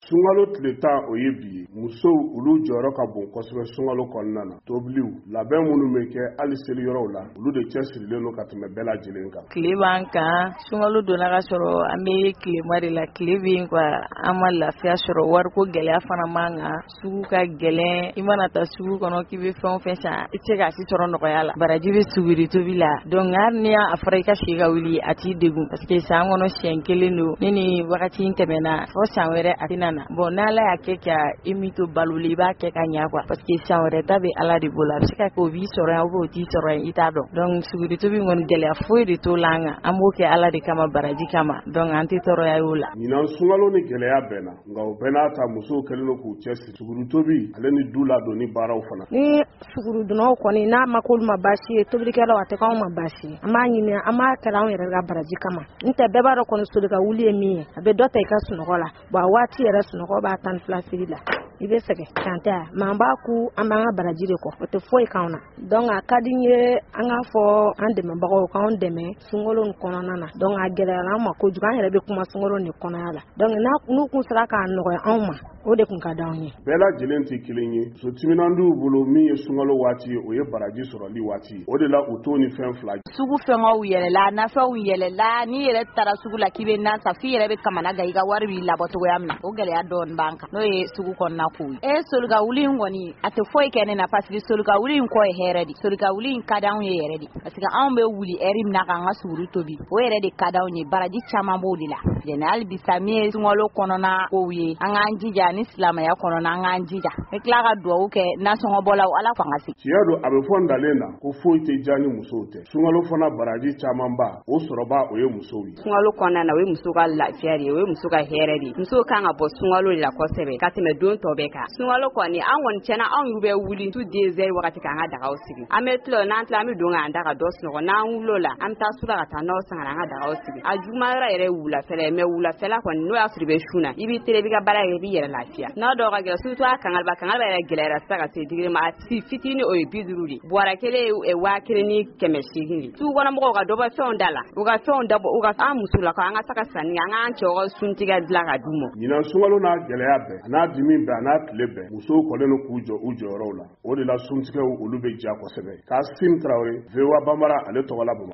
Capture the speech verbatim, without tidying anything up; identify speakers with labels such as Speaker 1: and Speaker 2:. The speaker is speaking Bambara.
Speaker 1: Sunkalo tile tan, o ye bi ye. Musow, olu jɔyɔrɔ ka bon kosɛbɛ sunkalo kɔnɔna na. Tobiliw, labɛn minnu bɛ kɛ hali seli yɔrɔw la, olu de cɛ sirilen don ka tɛmɛ bɛɛ lajɛlen kan.
Speaker 2: Tile b'an kan. Sunkalo donna ka sɔrɔ an bɛ tilema de la. Tile bɛ yen quoi, an ma lafiya sɔrɔ. Wariko gɛlɛya fana man kan, sugu ka gɛlɛn. I mana taa sugu kɔnɔ k'i bɛ fɛn o fɛn san, i tɛ se k'a si sɔrɔ nɔgɔya la. Baraji bɛ suguri tobi la, donc hali ni a fɔra i ka si ka wuli, a t'i degun, parce que san kɔnɔ siɲɛ kelen don. Ni nin wagati in tɛmɛna, fo san wɛrɛ a tɛna na. Bon, n'Ala y'a kɛ ka i min to balo la, i b'a kɛ ka ɲa quoi, parce que san wɛrɛ ta bɛ Ala de bolo. A bɛ se ka kɛ o b'i sɔrɔ yan ou bien o t'i sɔrɔ yan, i t'a dɔn. Donc suguri tobi kɔni, gɛlɛya foyi de t'o la an kan. An b'o kɛ Ala de kama, baraji kama, donc an tɛ tɔɔrɔya y'o la.
Speaker 1: Ɲinan sunkalo ni gɛlɛya bɛnna, nka o bɛɛ n'a ta, musow kɛlen don k'u cɛ siri suguri tobi ale ni du ladonni baaraw fana.
Speaker 3: Ni sugurudunnaw kɔni n'a ma k'olu ma baasi ye, tobilikɛlaw, a tɛ k'anw ma baasi ye. An b'a ɲini, an b'a kɛla anw yɛrɛ ka baraji kama. N tɛ bɛɛ b'a dɔn kɔni, soli ka wuli ye min ye, a bɛ dɔ ta i ka sunɔgɔ la. Bon, a waati yɛrɛ, sunɔgɔ b'a tan ni fila siri la, i bɛ sɛgɛn kan tɛ. Mais an b'a ku, an b'an ka baraji de kɔ, o tɛ foyi k'anw na. Donc a ka di n ye an k'a fɔ an dɛmɛbagaw k'anw dɛmɛ sunkalo nin kɔnɔna na. Donc a gɛlɛyara an ma kojugu, an yɛrɛ bɛ kuma sunkalo nin kɔnɔya la. Donc n'u kun sera k'a nɔgɔya anw ma, o de kun ka d'anw ye.
Speaker 1: Bɛɛ lajɛlen tɛ kelen ye. Muso timinandiw bolo, min ye sunkalo waati ye, o ye baraji sɔrɔli waati ye. O de la u t'o ni fɛn fila.
Speaker 4: Sugu fɛngɛw yɛlɛla, nafɛnw yɛlɛla. N'i yɛrɛ taara sugu la k'i bɛ nan san, f'i yɛrɛ bɛ kamana gan i ka wari b'i labɔ cogoya min na. O gɛlɛya dɔɔni b'an kan, n'o ye sugu kɔnɔna kow ye. E solika wuli in kɔni, a tɛ foyi kɛ ne na, parce que solika wuli in kɔ ye hɛrɛ de. Solika wuli in ka d'anw ye yɛrɛ de, parce que anw bɛ wuli heure min na k'an ka suguri tobi, o yɛrɛ de ka d'anw ye. Baraji caman b'o de la. Jɛnɛ hali bisa, min ye sunkalo kɔnɔna kow ye, an k'an jija ni silamɛya kɔnɔna, an k'an jija. N bɛ tila ka dugawu kɛ nasɔngɔbɔlaw, Ala fanga se.
Speaker 1: Tiɲɛ don, a bɛ fɔ ntalen na ko foyi tɛ diya ni musow tɛ. Sunkalo fana baraji camanba, o sɔrɔba, o ye musow ye.
Speaker 5: Sunkalo kɔnɔna na, o ye muso ka lafiya de ye, o ye muso ka hɛrɛ de ye. Musow kan ka bɔ sunkalo de la kosɛbɛ ka tɛmɛ don tɔ bɛɛ kan. Sunkalo kɔni, an kɔni tiɲɛna, anw y'u bɛ wuli tu deux heures wagati k'an ka dagaw sigi. An bɛ tila, n'an tila, an bɛ don k'an da ka dɔ sunɔgɔ. N'an wulila o la, an bɛ taa su la ka taa nɔnɔ san ka na an ka dagaw sigi. A juguman yɔrɔ yɛrɛ ye wulafɛla ye, mais wulafɛla kɔni, n'o y'a sɔrɔ i bɛ sun na, i b'i teliya, i b'i ka baara kɛ, i b'i yɛrɛ lafiya. N'a dɔw ka gɛlɛn, surtout a kangaliba kangaliba yɛrɛ gɛlɛyara sisan ka se degré ma. A si fitinin, o ye bi duuru de, buwara kelen ye waa kelen ni kɛmɛ seegin de. Sugu kɔnɔmɔgɔw ka dɔ bɔ fɛnw da la, u ka fɛnw dabɔ, u ka an musolakaw, an ka se ka sanni kɛ, an k'an cɛw ka suntigɛ dilan ka d'u ma.
Speaker 1: Ɲinan sunkalo n'a gɛlɛya bɛɛ, a n'a dimi bɛɛ, a n'a tile bɛɛ, musow kɔlen don k'u jɔ u jɔyɔrɔw la. O de la suntigɛw, olu bɛ diya kosɛbɛ. Kasim Tarawele, V O A Bambara, ale tɔgɔ la Bamakɔ.